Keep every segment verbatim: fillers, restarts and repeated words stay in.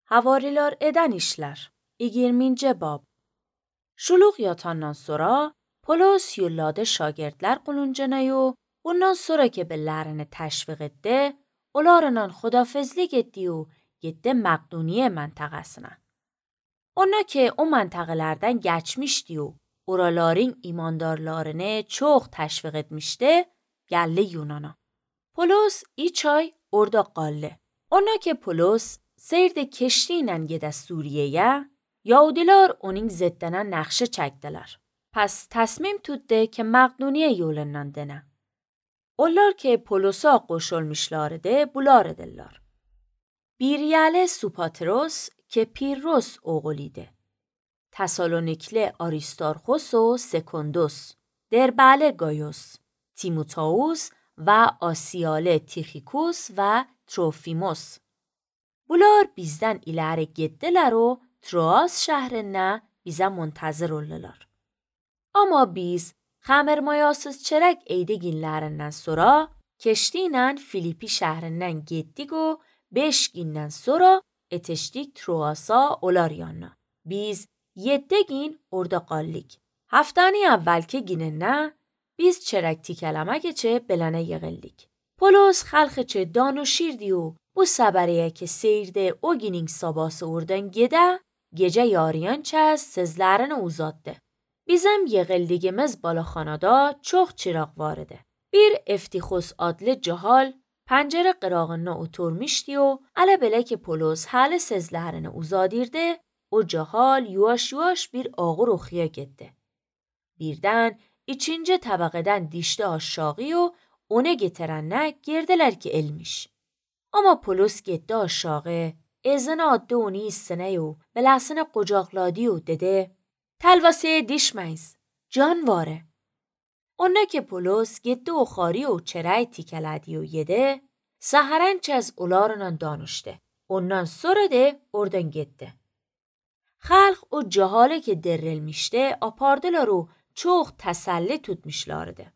havariler eden işler. yirminci bab. Şuluk yatandan sonra Polos yolladı şagirdler quluncanayı. Bundan sonra ki bellerini teşvik etti, onlarla xudafizlik etti و gitti Makedoniya mentıqasına. Ona ki o mentıqalardan geçmişti و oraların imandarlarını çok teşvik etmişti, geldi Yunan'a. Polos üç ay orada qaldı. Ona ki Polos seyirde keştiyle gide Suriye'ye, Yahudiler onun ziddine nakşı çektiler. Pes تصمیم tuttu ki Makedoniya yolundan dene. Onlar ki Polos'a qoşulmuşlardı, bular edirler. Bir yeli Supatros ki Pirros oğluydu. Tesalonikli Aristarchos و سکندوس، دربله گایوس، تیموتائوس و آسیاله تیخیکوس و تروفیموس. Bular bizden ileri gittiler و Troas şehrine bize muntazır oldular. Ama biz xəmirmayasız çörək eydiginlərindən sonra keştiyle Filipi şəhrindən getdik و beş gündən sonra etişdik Troas'a olar yanına. Biz yeddi gün orada qaldık. Haftanın əvvəlki günündə biz çörək tikələmək üçün belənə yığıldık. Polos xalq üçün danışırdı و bu səbəriyə ki seyirdə o günün sabahı oradan gedə, gecə yarıyan çəz sözlərini uzatdı. Bizim yığıldığımız balaxanada çox çıraq vardı. Bir افتیخوس adlı cahal pencere qırağına oturmuşdu و elə belə ki Polos hələ sözlərini uzadirdi, o cahal yuvaş yuvaş bir ağır oxuya getdi. Birdən ikinci təbəqədən dişdi aşağı و onu getirənə girdilər ki elmiş. Ama Polos getdi aşağı, ezini addı onu üstünə و beləsini qucaqladı و dedi: Telvaseye düşmeyiz, can vare. Ona ki Polos gitti o xari و çörək tikələdi و yedi, səhərən çəz onlarla danışdı. Ondan sonra da oradan gitti. Xalq o cahale ki derrilmişti, apardılar و çox təsəlli tutmuşlardı.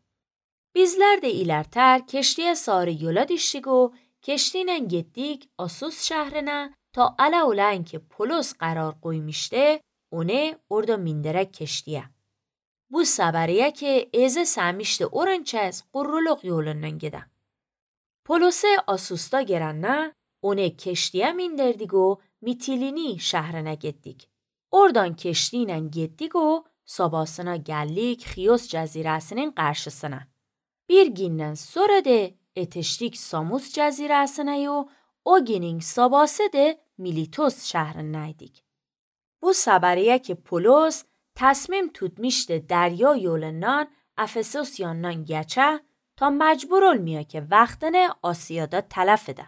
Bizlər də ilərtər keştiyə sarı yola düşdük و keştiyle getdik Asos şəhrinə ta ələ olən ki Polos qərar qoymuşdu, onu orada mindirək keştiyə. Bu səbəriyə ki eze səmişdi oran çəz qurruluq yolundan gedə. Polos'e Asos'ta gelənə onu keştiyə mindirdik و Mitilini şəhrinə getdik. Oradan keştiyle getdik و sabahına gəldik Xiyos cəzirəsinin qarşısına. Bir gündən sonra da etişdik Samos cəzirəsinə و o günün sabahı da Militos şəhrinəydik. Bu səbəriyə ki Polos تصمیم tutmuşdu دریا yolundan Efesos yanından geçe ta mecbur olmuyor ki vaxtını Asiyada tələf edə.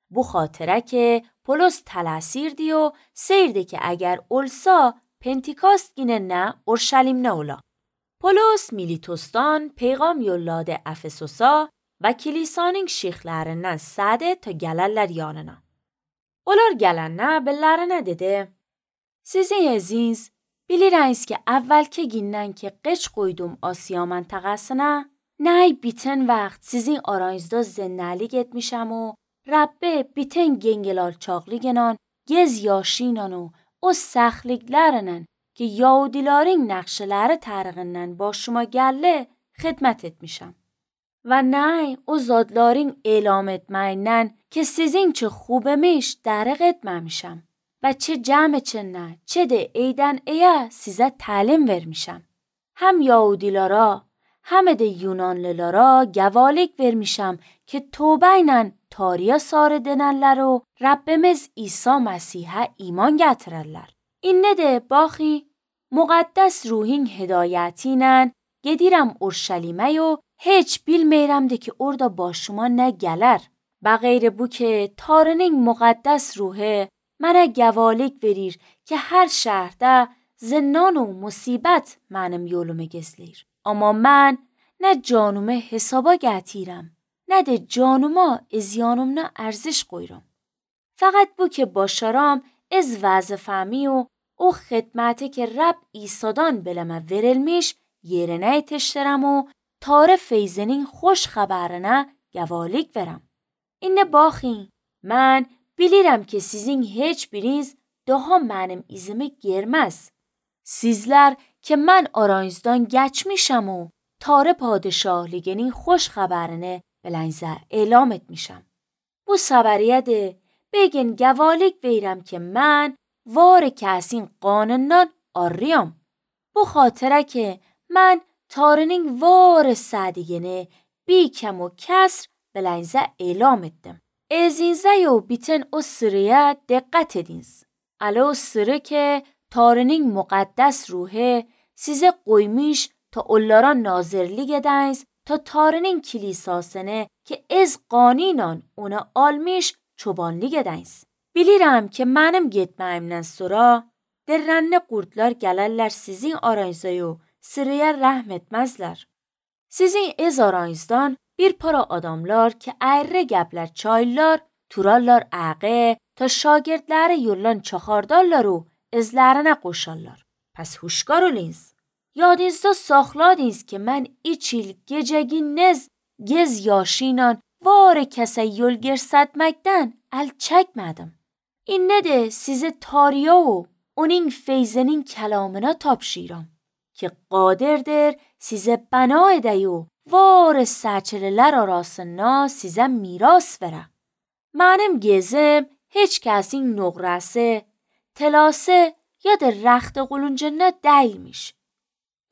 Bu xaطره که Polos tələsirdi و seyirdi ki اگر olsa پنتیکاست günü نه اورشلیم نه ola. Polos Militos'tan پیغام yolladı Efesos'a və kilisanın şeyxlərindən sədi ta gəlirlər yanına. Onlar gələndə bellərinə dedi: Sizin əziz, bilirsiniz ki əvvəlki gündən ki qeç qoydum Asiya məntəqəsinə, nə bütün vaxt sizin aranızda zənnəlik etmişəm و Rabbe bütün gengel alçaqlıqla, gez yaşıyla و o səxliklərlə ki Yahudilərin nəqşələri tərəqindən başıma gəldi, xidmət etmişəm. Və nə o zadların elam etməyindən ki sizin çi خوبmiş dəriq etməmişəm. Və çe cəm içində, çe də eydən eyə sizə təlim vermişəm. Həm Yahudilərə, həm də Yunanlılara gəvalik vermişəm ki tövbə ilə tariyə sarı denənlər و Rabbimiz İsa Məsihə iman gətirərlər. İnnə də baxi, müqəddəs ruhin hidayəti ilə gedirəm Urşəlimə و heç bilməyirəm də ki orada başıma nə gələr. Bəğeyr bu ki Tanrının müqəddəs ruhu mənə gəvalik verir ki hər şəhərdə zinnan و musibət mənim yolumu gizləyir. Amma mən nə canımı hesaba gətirəm, nə də canıma izyanımla ərziş qoyuram. Faqat bu ki başaram از vəzifəmi و o xidməti ki Rəbb İsa'dan beləmə verilmiş yerinə yetişdirəm و tarı feyzinin xoş xəbərinə gəvalik verəm. İnnə baxin, mən Bilirim ki sizin hiç biriniz daha benim izimi girmez. Sizler ki ben aranızdan geçmişim و تار padişahliginin خوش خبرini بلنزه elam etmişim. Bu sabariye de bugün gevalik verirəm ki mən var kəsin qanundan arıyam. Bu xatirə ki mən tarının var sədigini bir kəm و kəsr بلنزه elam etdim. Ezinizə yo bütün o sıraya dikkat ediniz. Alə o sırı ki tarının müqəddəs ruhu size qoymuş ta onlara nazirlik ediniz ta tarının kilisasını ki ez qaninan ona almış çobanlık ediniz. Bilirəm ki mənim getməyimdən sonra derrənli qurtlar gələrlər sizin aranıza yo sıraya rəhm etməzlər. Sizin ez aranızdan bir para adamlar ki əyri gəblər çaylar, turarlar əqə ta şagirdləri yollan çaxardarlar و izlərinə qoşarlar. Pəs huşkar olunuz. Yadınızda saxladınız ki mən üç il gecəginiz gez yaşıyla var kəsə yol girsətməkdən əl çəkmədim. İnnə də sizi tariya و onun feyzinin kəlamına tapşıram ki qadirdir size bana edə و var səçilələr arasında size miras verə. Mənim gezim heç kəsin nöqrəsi, telası ya da rəxti quluncuna dəyilmiş.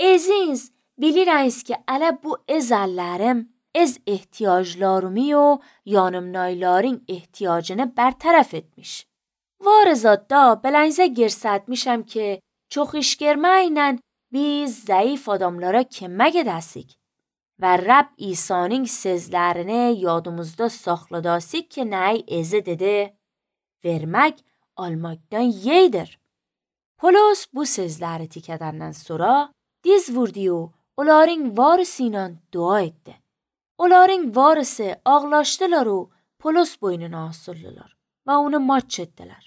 Eziniz bilirəniz ki ələ bu ezəllərim ez ehtiyaclarımı و yanımnayların ehtiyacını bertaraf etmiş. Var zadda belənzə girsətmişəm ki çox iş girməklə biz zayıf adamlara kömək edəsik. Və Rəbb İsa'nın sözlərini yadımızda saxladasik ki nəy ezi dedi, vermək almaqdan yeydir. Polos bu sözləri tikədəndən sonra diz vurdu و onların varısıyla dua etdi. Onların varısı ağlaşdılar و Polos boynuna asıldılar və onu maç etdilər.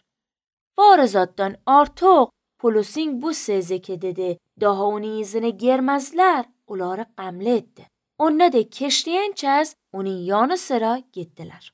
Var zaddan artıq Polos'un bu sözü ki dedi daha onun izini girmezlər, onları qəmli etdi. Onlar da keşliyən kəz onun yanı sıra getdilər.